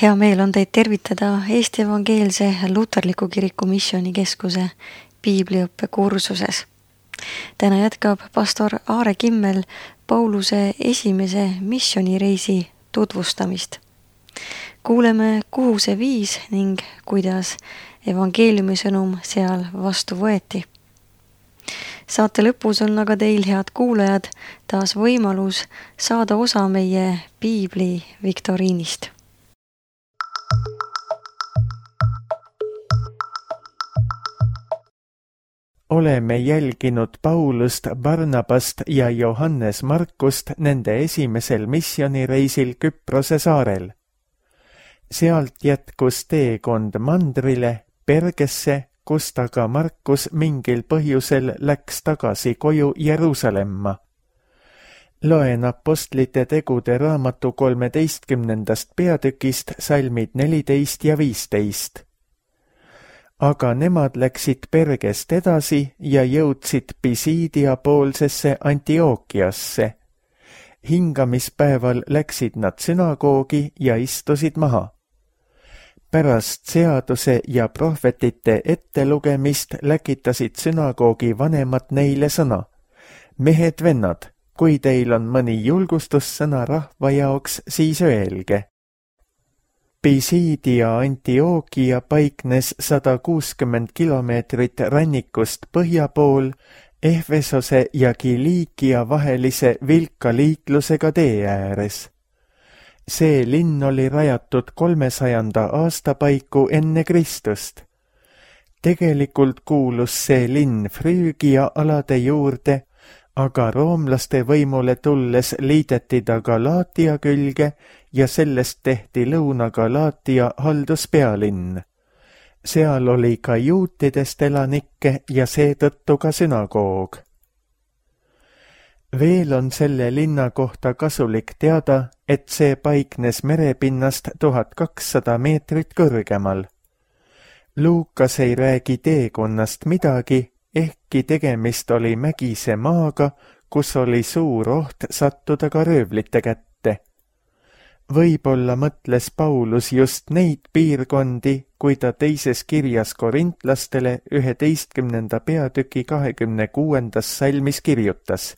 Hea meel on teid tervitada Eesti Evangeelse Luterliku Kiriku Missioonikeskuse piibliõppe kursuses. Täna jätkab pastor Aare Kimmel Pauluse esimese missioonireisi tutvustamist. Kuuleme, kuhu see viis ning kuidas evangeeliumi sõnum seal vastu võeti. Saate lõpus on aga teil, head kuulajad, taas võimalus saada osa meie piibli viktoriinist. Oleme jälginud Paulust, Barnabast ja Johannes Markust nende esimesel missioonireisil Küprose saarel. Sealt jätkus teekond mandrile, Pergesse, kust aga Markus mingil põhjusel läks tagasi koju Jeruusalemma. Loen apostlite tegude raamatu 13. peatükist salmid 14 ja 15. Aga nemad läksid Pergest edasi ja jõudsid Pisidia poolsesse Antiookiasse. Hingamispäeval läksid nad sünagoogi ja istusid maha. Pärast seaduse ja prohvetite ettelugemist läkitasid sünagoogi vanemad neile sõna. Mehed-vennad, kui teil on mõni julgustussõna rahva jaoks, siis öelge. Pisidia Antiookia paiknes 160 kilomeetrit rannikust põhja pool Ehvesose ja Kiliikia vahelise vilka liiklusega tee ääres. See linn oli rajatud 300. aasta paiku enne Kristust. Tegelikult kuulus see linn Früügia alade juurde, aga roomlaste võimule tulles liideti ta Galaatia külge ja sellest tehti Lõuna-Galaatia halduspealinn. Seal oli ka juutidest elanikke ja seetõttu ka sünagoog. Veel on selle linna kohta kasulik teada, et see paiknes merepinnast 1200 meetrit kõrgemal. Luukas ei räägi teekonnast midagi, ehkki tegemist oli mägise maaga, kus oli suur oht sattuda ka röövlite kätte. Võib-olla mõtles Paulus just neid piirkondi, kui ta teises kirjas korintlastele 11. peatüki 26. salmis kirjutas.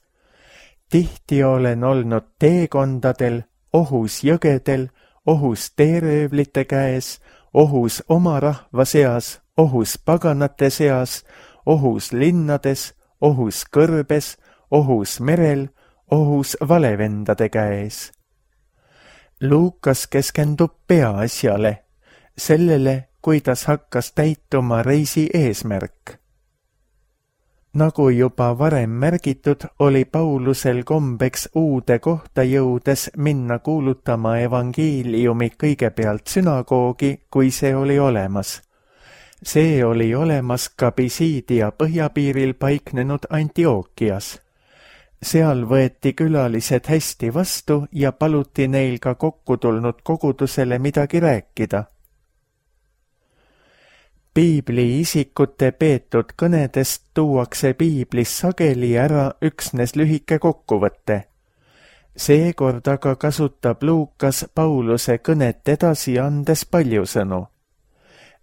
Tihti olen olnud teekondadel, ohus jõgedel, ohus teeröövlite käes, ohus oma rahva seas, ohus paganate seas, ohus linnades, ohus kõrbes, ohus merel, ohus valevendade käes. Luukas keskendub peaasjale, sellele, kuidas hakkas täituma reisi eesmärk. Nagu juba varem märgitud, oli Paulusel kombeks uude kohta jõudes minna kuulutama evangeeliumi kõigepealt sünagoogi, kui see oli olemas. See oli olemas ka Pisidia põhjapiiril paiknenud Antiookias. Seal võeti külalised hästi vastu ja paluti neil ka kokku tulnud kogudusele midagi rääkida. Piibli isikute peetud kõnedest tuuakse piiblis sageli ära üksnes lühike kokkuvõte. Seekord aga kasutab Luukas Pauluse kõnet edasi andes palju sõnu.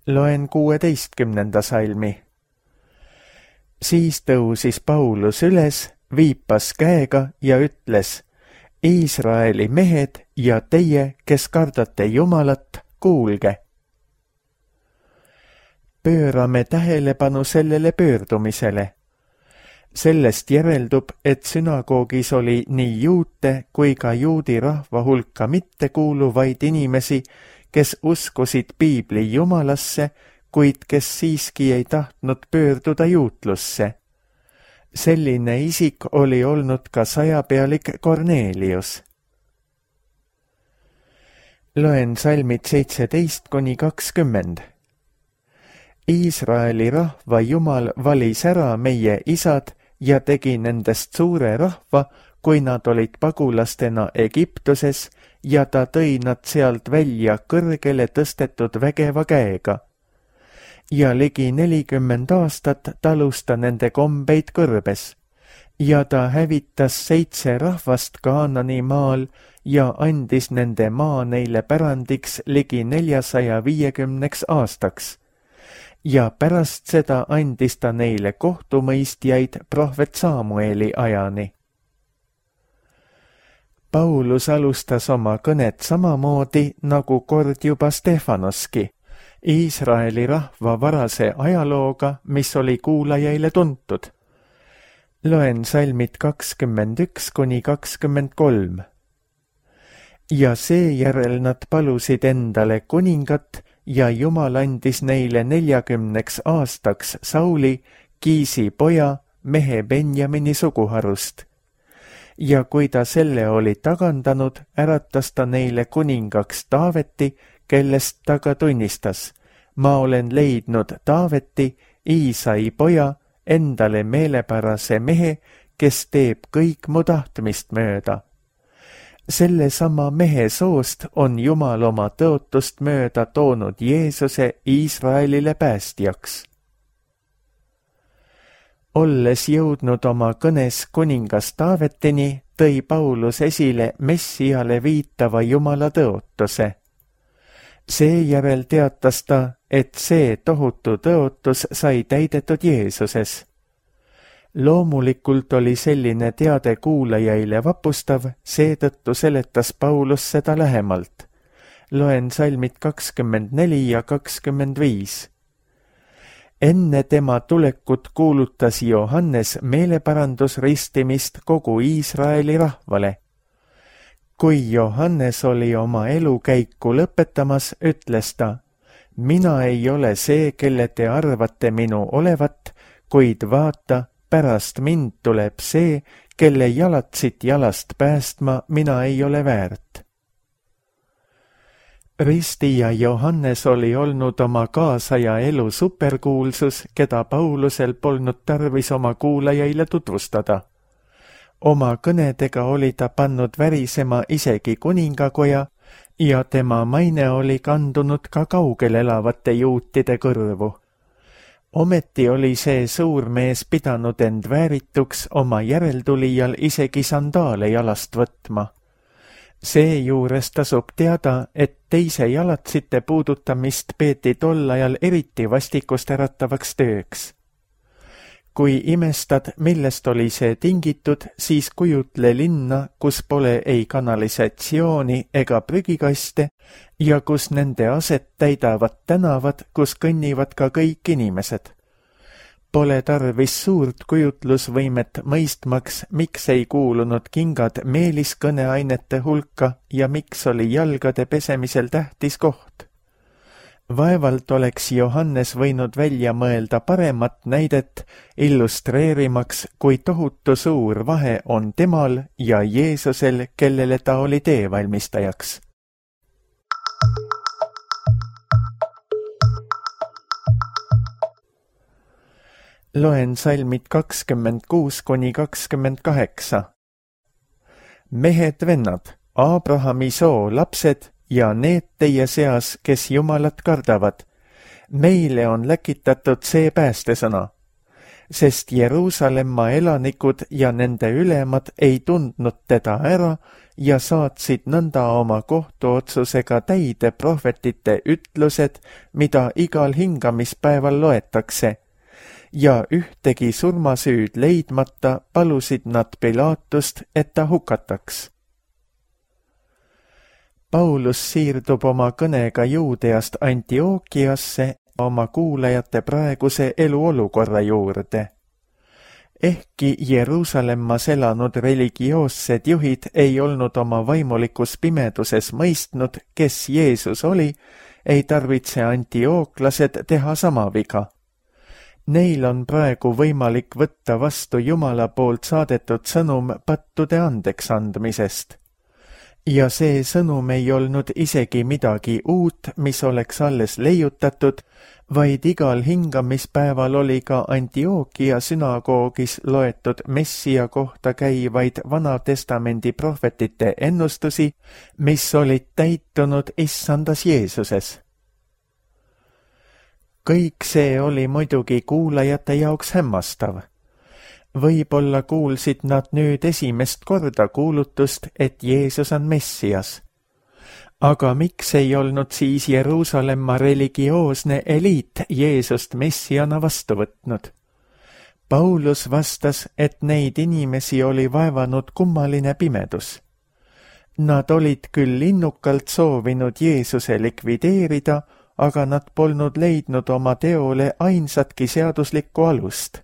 Loen 16. salmi. Siis tõusis Paulus üles, viipas käega ja ütles: Iisraeli mehed ja teie, kes kardate Jumalat, kuulge. Pöörame tähelepanu sellele pöördumisele. Sellest järeldub, et sünagoogis oli nii juute kui ka juudi rahva hulka mittekuuluvaid inimesi, kes uskusid piibli Jumalasse, kuid kes siiski ei tahtnud pöörduda juutlusse. Selline isik oli olnud ka sajapealik Kornelius. Loen salmid 17–20. Iisraeli rahva Jumal valis ära meie isad ja tegi nendest suure rahva, kui nad olid pagulastena Egiptuses, ja ta tõi nad sealt välja kõrgele tõstetud vägeva käega. Ja ligi 40 aastat talus ta nende kombeid kõrbes. Ja ta hävitas 7 rahvast Kaanani maal ja andis nende maa neile pärandiks ligi 450 aastaks. Ja pärast seda andis ta neile kohtumõistjaid prohvet Samueli ajani. Paulus alustas oma kõnet samamoodi nagu kord juba Stefanoski, Iisraeli rahva varase ajalooga, mis oli kuulajaile tuntud. Loen salmid 21–23. Ja seejärel nad palusid endale kuningat ja Jumal andis neile 40 aastaks Sauli, Kiisi poja, mehe Benjamini suguharust. Ja kui ta selle oli tagandanud, äratas ta neile kuningaks Taaveti, kellest ta ka tunnistas: ma olen leidnud Taaveti, Iisai poja, endale meelepärase mehe, kes teeb kõik mu tahtmist mööda. Selle sama mehe soost on Jumal oma tõotust mööda toonud Jeesuse Iisraelile päästjaks. Olles jõudnud oma kõnes kuningas Taavetini, tõi Paulus esile Messiale viitava Jumala tõotuse. Seejärel teatas ta, et see tohutu tõotus sai täidetud Jeesuses. Loomulikult oli selline teade kuulajaile vapustav, seetõttu seletas Paulus seda lähemalt. Loen salmid 24 ja 25. Enne tema tulekut kuulutas Johannes meeleparandusristimist kogu Iisraeli rahvale. Kui Johannes oli oma elukäiku lõpetamas, ütles ta: mina ei ole see, kelle te arvate minu olevat, kuid vaata, pärast mind tuleb see, kelle jalatsit jalast päästma mina ei ole väärt. Ristija Johannes oli olnud oma kaasaja elu superkuulsus, keda Paulusel polnud tarvis oma kuulajaile tutvustada. Oma kõnedega oli ta pannud värisema isegi kuningakoja ja tema maine oli kandunud ka kaugel elavate juutide kõrvu. Ometi oli see suur mees pidanud end väärituks oma järeltulijal isegi sandaale jalast võtma. Seejuures tasub teada, et teise jalatsite puudutamist peeti tol ajal eriti vastikust äratavaks tööks. Kui imestad, millest oli see tingitud, siis kujutle linna, kus pole ei kanalisatsiooni ega prügikaste ja kus nende aset täidavad tänavad, kus kõnnivad ka kõik inimesed. Pole tarvis suurt kujutlusvõimet mõistmaks, miks ei kuulunud kingad meeliskõneainete hulka ja miks oli jalgade pesemisel tähtis koht. Vaevalt oleks Johannes võinud välja mõelda paremat näidet, illustreerimaks, kui tohutu suur vahe on temal ja Jeesusel, kellele ta oli teevalmistajaks. Loen salmid 26–28. Mehed vennad, Abrahami soo lapsed ja need teie seas, kes Jumalat kardavad, meile on läkitatud see päästesõna, sest Jeruusalemma elanikud ja nende ülemad ei tundnud teda ära ja saatsid nõnda oma kohtuotsusega täide prohvetite ütlused, mida igal hingamispäeval loetakse, ja ühtegi surmasüüd leidmata palusid nad Pilaatust, et ta hukataks. Paulus siirdub oma kõnega Juudeast Antiookiasse oma kuulajate praeguse eluolukorra juurde. Ehkki Jeruusalemmas elanud religioossed juhid ei olnud oma vaimulikus pimeduses mõistnud, kes Jeesus oli, ei tarvitse antiooklased teha sama viga. Neil on praegu võimalik võtta vastu Jumala poolt saadetud sõnum pattude andeks andmisest. Ja see sõnum ei olnud isegi midagi uut, mis oleks alles leiutatud, vaid igal hingamispäeval oli ka Antiookia sünagoogis loetud Messia kohta käivaid Vanatestamendi prohvetite ennustusi, mis olid täitunud issandas Jeesuses. Kõik see oli muidugi kuulajate jaoks hämmastav. Võib-olla kuulsid nad nüüd esimest korda kuulutust, et Jeesus on Messias. Aga miks ei olnud siis Jeruusalemma religioosne eliit Jeesust Messiana vastu võtnud? Paulus vastas, et neid inimesi oli vaevanud kummaline pimedus. Nad olid küll innukalt soovinud Jeesuse likvideerida, aga nad polnud leidnud oma teole ainsatki seaduslikku alust.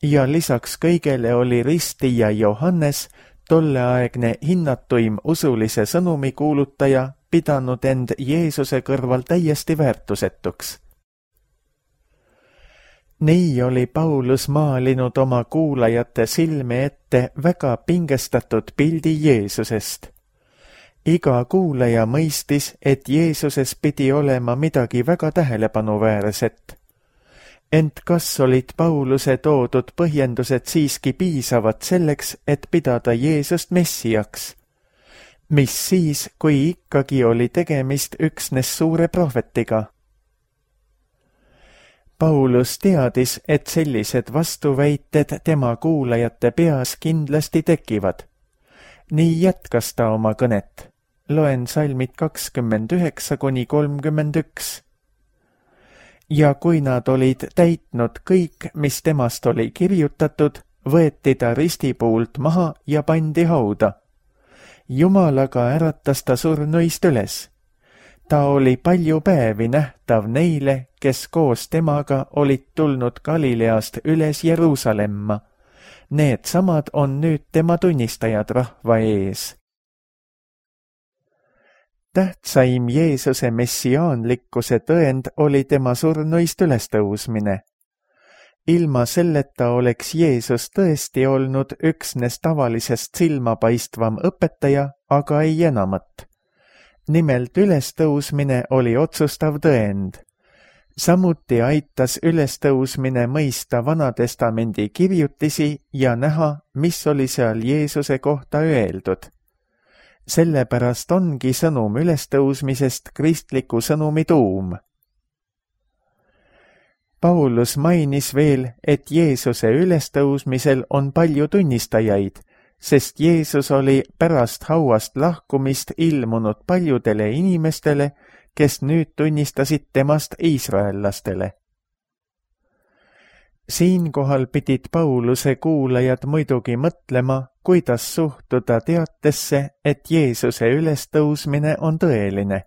Ja lisaks kõigele oli ristija Johannes, tolleaegne hinnatuim usulise sõnumi kuulutaja, pidanud end Jeesuse kõrval täiesti väärtusetuks. Nii oli Paulus maalinud oma kuulajate silme ette väga pingestatud pildi Jeesusest. Iga kuulaja mõistis, et Jeesuses pidi olema midagi väga tähelepanuväärset. Ent kas olid Pauluse toodud põhjendused siiski piisavad selleks, et pidada Jeesust Messiaks? Mis siis, kui ikkagi oli tegemist üksnes suure prohvetiga? Paulus teadis, et sellised vastuväited tema kuulajate peas kindlasti tekivad. Nii jätkas ta oma kõnet. Loen salmid 29–31. Ja kui nad olid täitnud kõik, mis temast oli kirjutatud, võeti ta ristipuult maha ja pandi hauda. Jumalaga äratas ta surnuist üles. Ta oli palju päevi nähtav neile, kes koos temaga olid tulnud Galileast üles Jeruusalemma. Need samad on nüüd tema tunnistajad rahva ees. Tähtsaim Jeesuse messiaanlikkuse tõend oli tema surnuist ülestõusmine. Ilma selleta oleks Jeesus tõesti olnud üksnes tavalisest silmapaistvam õpetaja, aga ei enamat. Nimelt ülestõusmine oli otsustav tõend. Samuti aitas ülestõusmine mõista Vanatestamendi kirjutisi ja näha, mis oli seal Jeesuse kohta öeldud. Sellepärast ongi sõnum ülestõusmisest kristliku sõnumi tuum. Paulus mainis veel, et Jeesuse ülestõusmisel on palju tunnistajaid, sest Jeesus oli pärast hauast lahkumist ilmunud paljudele inimestele, kes nüüd tunnistasid temast iisraellastele. Siinkohal pidid Pauluse kuulajad muidugi mõtlema, kuidas suhtuda teatesse, et Jeesuse ülestõusmine on tõeline.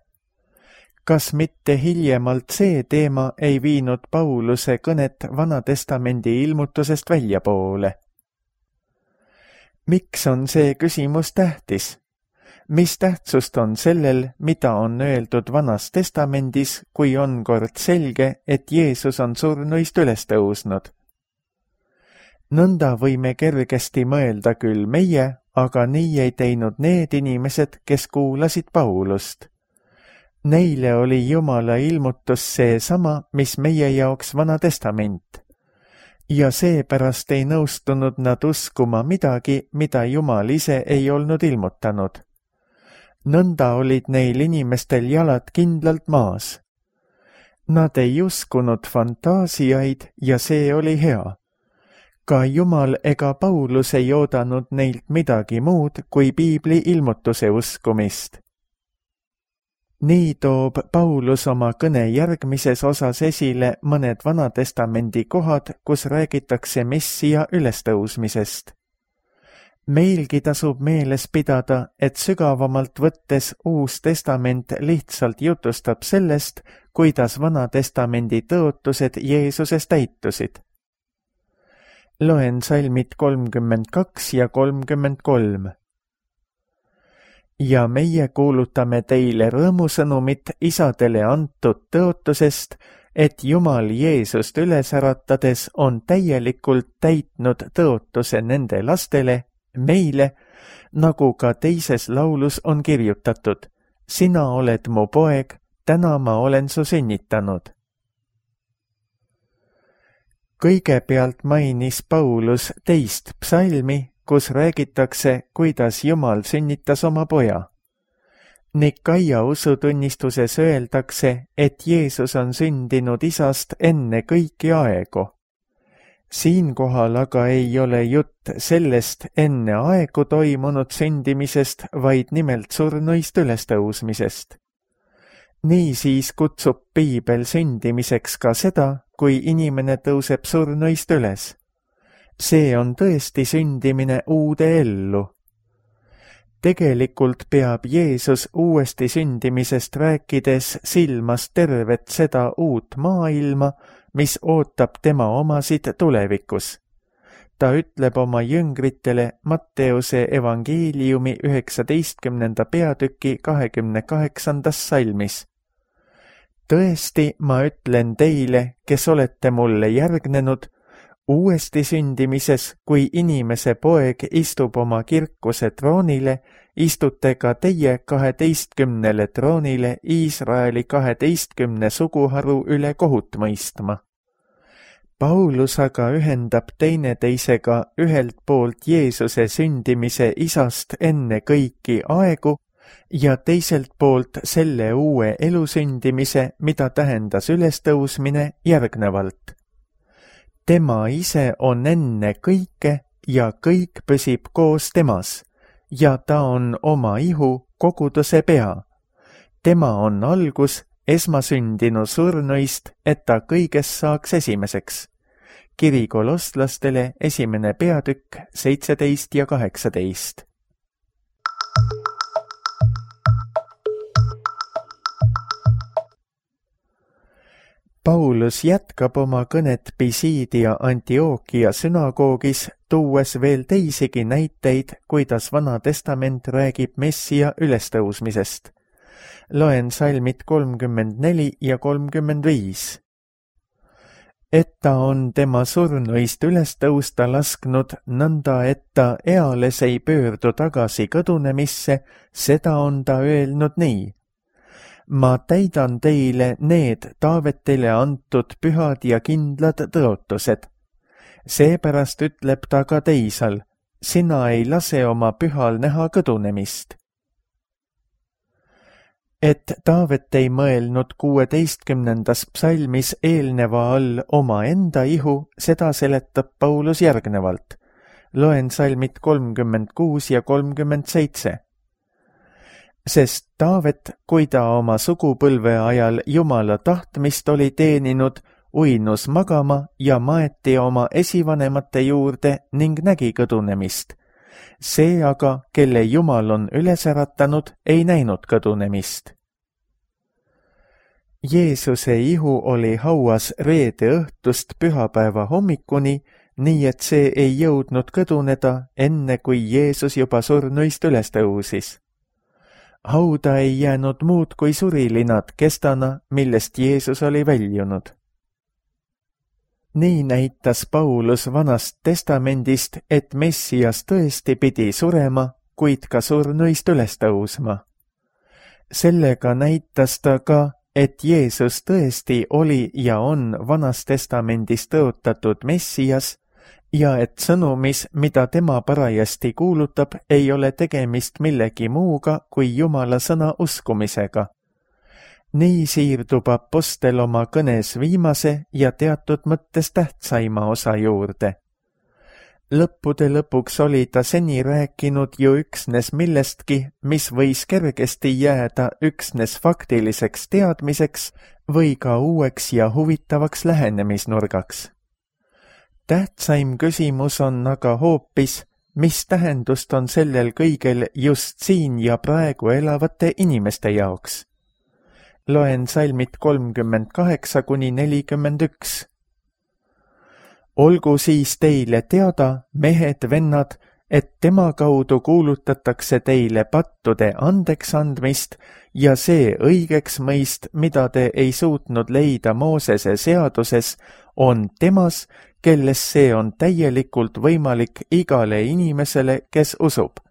Kas mitte hiljemalt see teema ei viinud Pauluse kõnet Vanatestamendi ilmutusest väljapoole? Miks on see küsimus tähtis? Mis tähtsust on sellel, mida on öeldud Vanas Testamendis, kui on kord selge, et Jeesus on surnuist üles tõusnud? Nõnda võime kergesti mõelda küll meie, aga nii ei teinud need inimesed, kes kuulasid Paulust. Neile oli Jumala ilmutus seesama, mis meie jaoks Vana Testament. Ja seepärast ei nõustunud nad uskuma midagi, mida Jumal ise ei olnud ilmutanud. Nõnda olid neil inimestel jalad kindlalt maas. Nad ei uskunud fantaasiaid ja see oli hea. Ka Jumal ega Paulus ei oodanud neilt midagi muud kui piibli ilmutuse uskumist. Nii toob Paulus oma kõne järgmises osas esile mõned Vanatestamendi kohad, kus räägitakse Messia ülestõusmisest. Meilgi tasub meeles pidada, et sügavamalt võttes Uus Testament lihtsalt jutustab sellest, kuidas Vanatestamendi tõotused Jeesuses täitusid. Loen salmid 32 ja 33. Ja meie kuulutame teile rõõmusõnumit isadele antud tõotusest, et Jumal Jeesust üles äratades on täielikult täitnud tõotuse nende lastele, meile, nagu ka teises laulus on kirjutatud. Sina oled mu poeg, täna ma olen su sünnitanud. Kõigepealt mainis Paulus teist psalmi, kus räägitakse, kuidas Jumal sünnitas oma poja. Nikaia usutunnistuses öeldakse, et Jeesus on sündinud isast enne kõiki aegu. Siinkohal aga ei ole jutt sellest enne aegu toimunud sündimisest, vaid nimelt surnuist ülestõusmisest. Niisiis kutsub piibel sündimiseks ka seda, kui inimene tõuseb surnuist üles. See on tõesti sündimine uude ellu. Tegelikult peab Jeesus uuesti sündimisest rääkides silmas tervet seda uut maailma, mis ootab tema omasid tulevikus. Ta ütleb oma jüngritele Matteuse evangeeliumi 19. peatüki 28. salmis. Tõesti, ma ütlen teile, kes olete mulle järgnenud, uuesti sündimises, kui inimese poeg istub oma kirkuse troonile, istute ka teie 12 troonile Iisraeli 12 suguharu üle kohut mõistma. Paulus aga ühendab teineteisega ühelt poolt Jeesuse sündimise isast enne kõiki aegu ja teiselt poolt selle uue elu sündimise, mida tähendas ülestõusmine järgnevalt. Tema ise on enne kõike ja kõik püsib koos temas ja ta on oma ihu koguduse pea. Tema on algus, esmasündinu surnuist, et ta kõiges saaks esimeseks. Kiri kolosslastele 1. peatükk 17 ja 18. Paulus jätkab oma kõnet Pisidia Antiochia sünagoogis, tuues veel teisigi näiteid, kuidas Vana Testament räägib Messia ülestõusmisest. Loen salmid 34 ja 35. Et ta on tema surnuist ülestõusta lasknud, nõnda et ta eales ei pöördu tagasi kõdunemisse, seda on ta öelnud nii. Ma täidan teile need Taavetile antud pühad ja kindlad tõotused. Seepärast ütleb ta ka teisal, sina ei lase oma pühal näha kõdunemist. Et Taavet ei mõelnud 16. psalmis eelneva all oma enda ihu, seda seletab Paulus järgnevalt. Loen salmid 36 ja 37. Sest Taavet, kui ta oma sugupõlve ajal Jumala tahtmist oli teeninud, uinus magama ja maeti oma esivanemate juurde ning nägi kõdunemist. See aga, kelle Jumal on üles äratanud, ei näinud kõdunemist. Jeesuse ihu oli hauas reede õhtust pühapäeva hommikuni, nii et see ei jõudnud kõduneda, enne kui Jeesus juba surnuist üles tõusis. Hauda ei jäänud muud kui surilinad kestana, millest Jeesus oli väljunud. Nii näitas Paulus Vanast Testamendist, et Messias tõesti pidi surema, kuid ka surnuist üles tõusma. Sellega näitas ta ka, et Jeesus tõesti oli ja on Vanas Testamendis tõotatud Messias ja et sõnumis, mida tema parajasti kuulutab, ei ole tegemist millegi muuga kui Jumala sõna uskumisega. Nii siirdub apostel oma kõnes viimase ja teatud mõttes tähtsaima osa juurde. Lõppude lõpuks oli ta seni rääkinud ju üksnes millestki, mis võis kergesti jääda üksnes faktiliseks teadmiseks või ka uueks ja huvitavaks lähenemisnurgaks. Tähtsaim küsimus on aga hoopis, mis tähendust on sellel kõigel just siin ja praegu elavate inimeste jaoks. Loen salmid 38 kuni 41. Olgu siis teile teada, mehed, vennad, et tema kaudu kuulutatakse teile pattude andeks andmist ja see õigeks mõist, mida te ei suutnud leida Moosese seaduses, on temas, kelles see on täielikult võimalik igale inimesele, kes usub.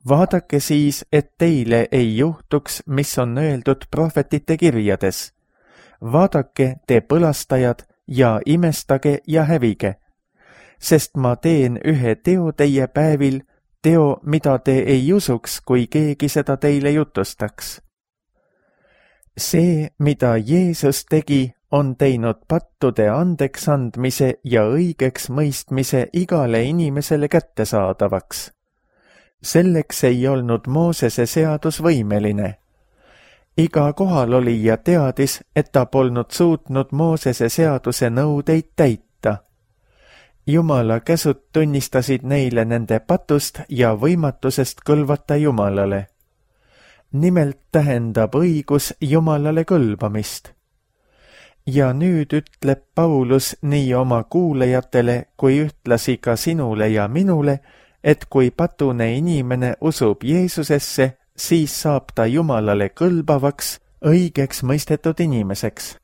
Vaadake siis, et teile ei juhtuks, mis on öeldud prohvetite kirjades. Vaadake, te põlastajad, ja imestage ja hävige, sest ma teen ühe teo teie päevil, teo, mida te ei usuks, kui keegi seda teile jutustaks. See, mida Jeesus tegi, on teinud pattude andeksandmise ja õigeks mõistmise igale inimesele kättesaadavaks. Selleks ei olnud Moosese seadus võimeline. Iga kohalolija teadis, et ta polnud suutnud Moosese seaduse nõudeid täita. Jumala käsud tunnistasid neile nende patust ja võimatusest kõlvata Jumalale. Nimelt tähendab õigus Jumalale kõlbamist. Ja nüüd ütleb Paulus nii oma kuulajatele kui ühtlasi ka sinule ja minule, et kui patune inimene usub Jeesusesse, siis saab ta Jumalale kõlbavaks, õigeks mõistetud inimeseks.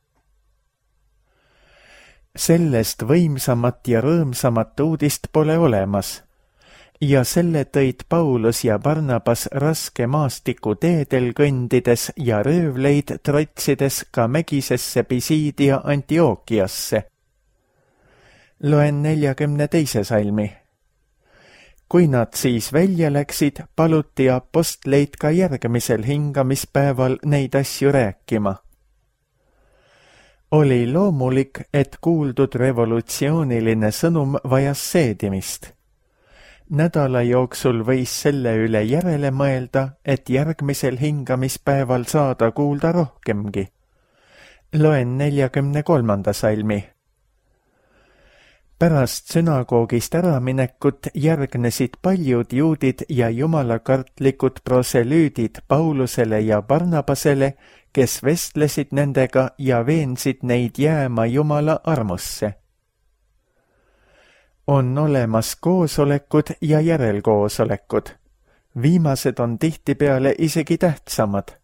Sellest võimsamat ja rõõmsamat uudist pole olemas. Ja selle tõid Paulus ja Barnabas raske maastiku teedel kõndides ja röövleid trotsides ka mägisesse Pisiidia Antiookiasse. Loen 42. salmi. Kui nad siis välja läksid, paluti apostleid ka järgmisel hingamispäeval neid asju rääkima. Oli loomulik, et kuuldud revolutsiooniline sõnum vajas seedimist. Nädala jooksul võis selle üle järele mõelda, et järgmisel hingamispäeval saada kuulda rohkemgi. Loen 43. salmi. Pärast sünagoogist äraminekut järgnesid paljud juudid ja jumalakartlikud proselüüdid Paulusele ja Barnabasele, kes vestlesid nendega ja veensid neid jääma Jumala armusse. On olemas koosolekud ja järelkoosolekud. Viimased on tihtipeale isegi tähtsamad.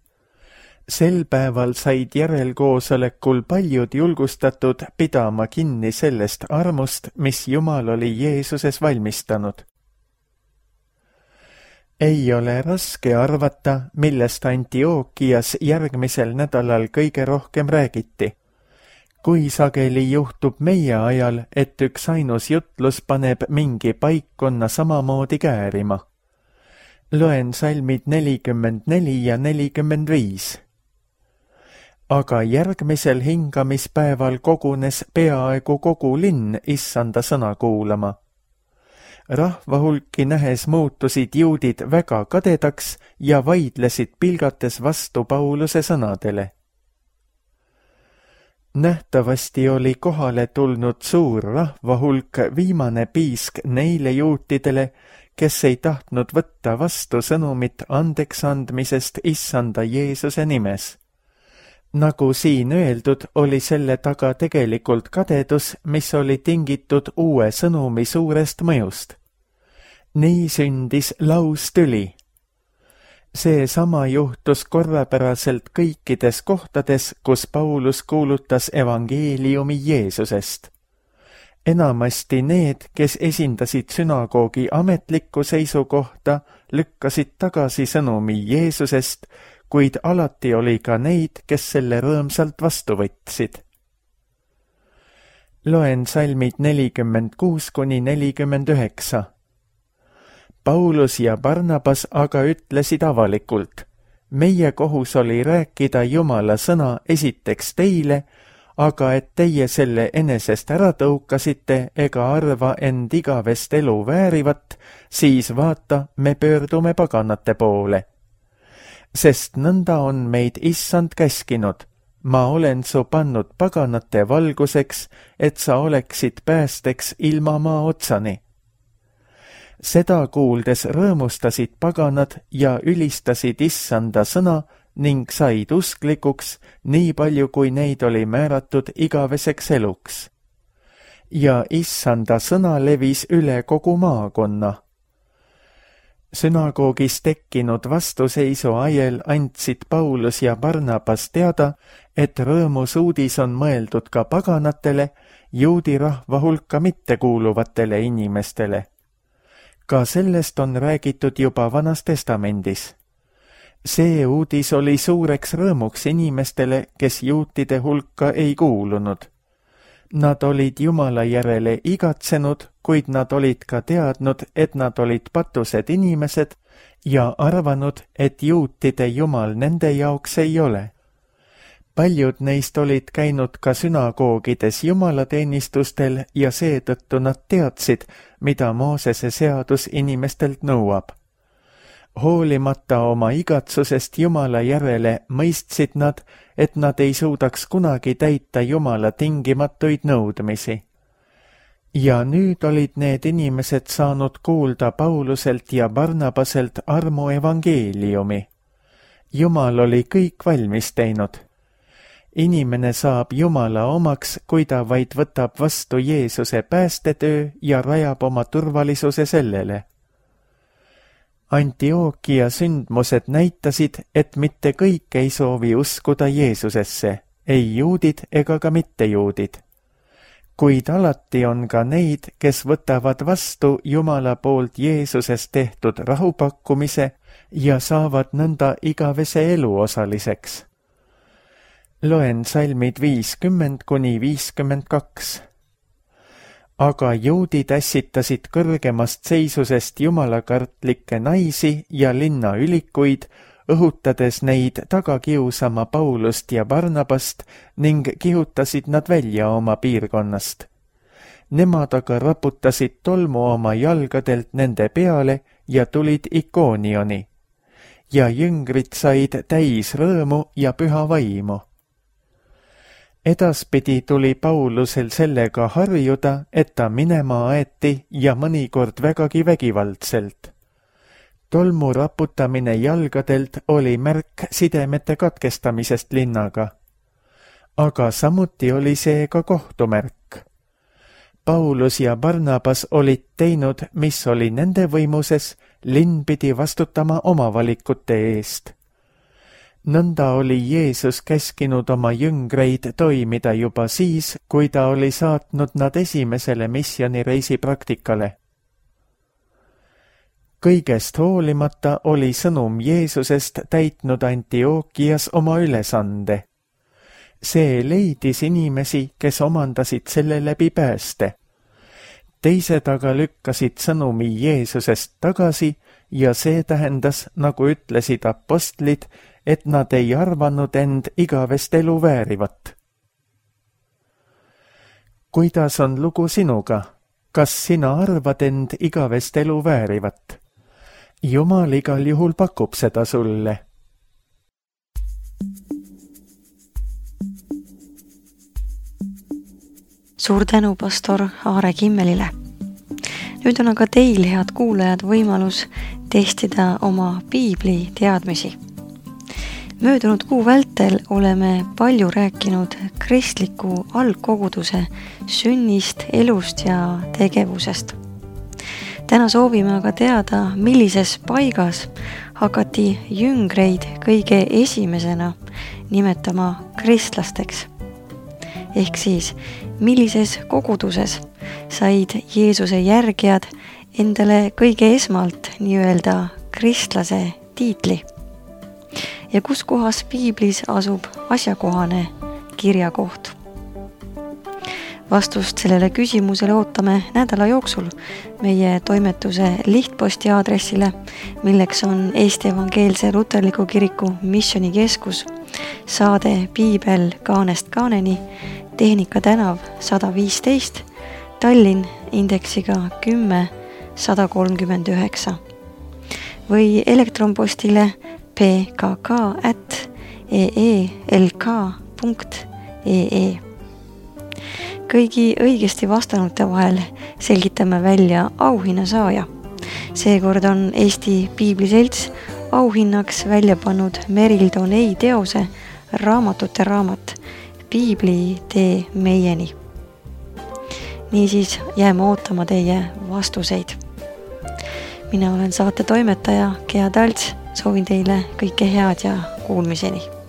Sel päeval said järelkoosolekul paljud julgustatud pidama kinni sellest armust, mis Jumal oli Jeesuses valmistanud. Ei ole raske arvata, millest Antiookias järgmisel nädalal kõige rohkem räägiti. Kui sageli juhtub meie ajal, et üks ainus jutlus paneb mingi paikkonna samamoodi käärima. Loen salmid 44 ja 45. Aga järgmisel hingamispäeval kogunes peaaegu kogu linn issanda sõna kuulama. Rahvahulki nähes muutusid juudid väga kadedaks ja vaidlesid pilgates vastu Pauluse sõnadele. Nähtavasti oli kohale tulnud suur rahvahulk viimane piisk neile juutidele, kes ei tahtnud võtta vastu sõnumit andeksandmisest issanda Jeesuse nimes. Nagu siin öeldud, oli selle taga tegelikult kadedus, mis oli tingitud uue sõnumi suurest mõjust. Nii sündis laustüli. Seesama juhtus korrapäraselt kõikides kohtades, kus Paulus kuulutas evangeeliumi Jeesusest. Enamasti need, kes esindasid sünagoogi ametlikku seisukohta, lükkasid tagasi sõnumi Jeesusest, kuid alati oli ka neid, kes selle rõõmsalt vastu võtsid. Loen salmid 46 kuni 49. Paulus ja Barnabas aga ütlesid avalikult, meie kohus oli rääkida Jumala sõna esiteks teile, aga et teie selle enesest ära tõukasite ega arva end igavest elu väärivat, siis vaata, me pöördume paganate poole. Sest nõnda on meid issand käskinud, ma olen su pannud paganate valguseks, et sa oleksid päästeks ilma maa otsani. Seda kuuldes rõõmustasid paganad ja ülistasid issanda sõna ning said usklikuks, nii palju kui neid oli määratud igaveseks eluks. Ja issanda sõna levis üle kogu maakonna. Sünagoogis tekkinud vastuseisu ajel andsid Paulus ja Barnabas teada, et rõõmus uudis on mõeldud ka paganatele, juudi rahva hulka mittekuuluvatele inimestele. Ka sellest on räägitud juba Vanas Testamendis. See uudis oli suureks rõõmuks inimestele, kes juutide hulka ei kuulunud. Nad olid Jumala järele igatsenud, kuid nad olid ka teadnud, et nad olid patused inimesed ja arvanud, et juutide Jumal nende jaoks ei ole. Paljud neist olid käinud ka sünagoogides jumalateenistustel ja seetõttu nad teadsid, mida Moosese seadus inimestelt nõuab. Hoolimata oma igatsusest Jumala järele mõistsid nad, et nad ei suudaks kunagi täita Jumala tingimatuid nõudmisi. Ja nüüd olid need inimesed saanud kuulda Pauluselt ja Barnabaselt armu evangeeliumi. Jumal oli kõik valmis teinud. Inimene saab Jumala omaks, kui ta vaid võtab vastu Jeesuse päästetöö ja rajab oma turvalisuse sellele. Antiokia sündmused näitasid, et mitte kõik ei soovi uskuda Jeesusesse, ei juudid ega ka mittejuudid. Kuid alati on ka neid, kes võtavad vastu Jumala poolt Jeesuses tehtud rahupakkumise ja saavad nõnda igavese elu osaliseks. Loen salmid 50–52. Aga juudid ässitasid kõrgemast seisusest jumalakartlikke naisi ja linnaülikuid, õhutades neid taga kiusama Paulust ja Barnabast ning kihutasid nad välja oma piirkonnast. Nemad aga raputasid tolmu oma jalgadelt nende peale ja tulid Ikoonioni. Ja jüngrid said täis rõõmu ja püha vaimu. Edaspidi tuli Paulusel sellega harjuda, et ta minema aeti ja mõnikord vägagi vägivaldselt. Tolmu raputamine jalgadelt oli märk sidemete katkestamisest linnaga. Aga samuti oli see ka kohtumärk. Paulus ja Barnabas olid teinud, mis oli nende võimuses, linn pidi vastutama oma valikute eest. Nõnda oli Jeesus käskinud oma jüngreid toimida juba siis, kui ta oli saatnud nad esimesele missioonireisi praktikale. Kõigest hoolimata oli sõnum Jeesusest täitnud Antiokias oma ülesande. See leidis inimesi, kes omandasid selle läbi pääste. Teised aga lükkasid sõnumi Jeesusest tagasi ja see tähendas, nagu ütlesid apostlid, et nad ei arvanud end igavest elu väärivat. Kuidas on lugu sinuga? Kas sina arvad end igavest elu väärivat? Jumal igal juhul pakub seda sulle. Suur tänu pastor Aare Kimmelile. Nüüd on aga teil, head kuulajad, võimalus testida oma piibli teadmisi. Möödunud kuu vältel oleme palju rääkinud kristliku algkoguduse sünnist, elust ja tegevusest. Täna soovime aga teada, millises paigas hakati jüngreid kõige esimesena nimetama kristlasteks. Ehk siis, millises koguduses said Jeesuse järgijad endale kõige esmalt nii-öelda kristlase tiitli? Ja kus kohas piiblis asub asjakohane kirjakoht? Vastust sellele küsimusele ootame nädala jooksul meie toimetuse lihtposti aadressile, milleks on Eesti Evangeelse Luterliku Kiriku Missioonikeskus, saade Piibel kaanest kaaneni, Tehnika tänav 115, Tallinn indeksiga 10-139 või elektronpostile pkk@eelk.ee. Kõigi õigesti vastanute vahel selgitame välja auhinnasaaja. Seekord on Eesti Piibliselts auhinnaks välja pannud Meril Donei teose Raamatute raamat Piibli tee meieni. Niisiis jääme ootama teie vastuseid. Mina olen saate toimetaja Gea Talts, soovin teile kõike head ja kuulmiseni.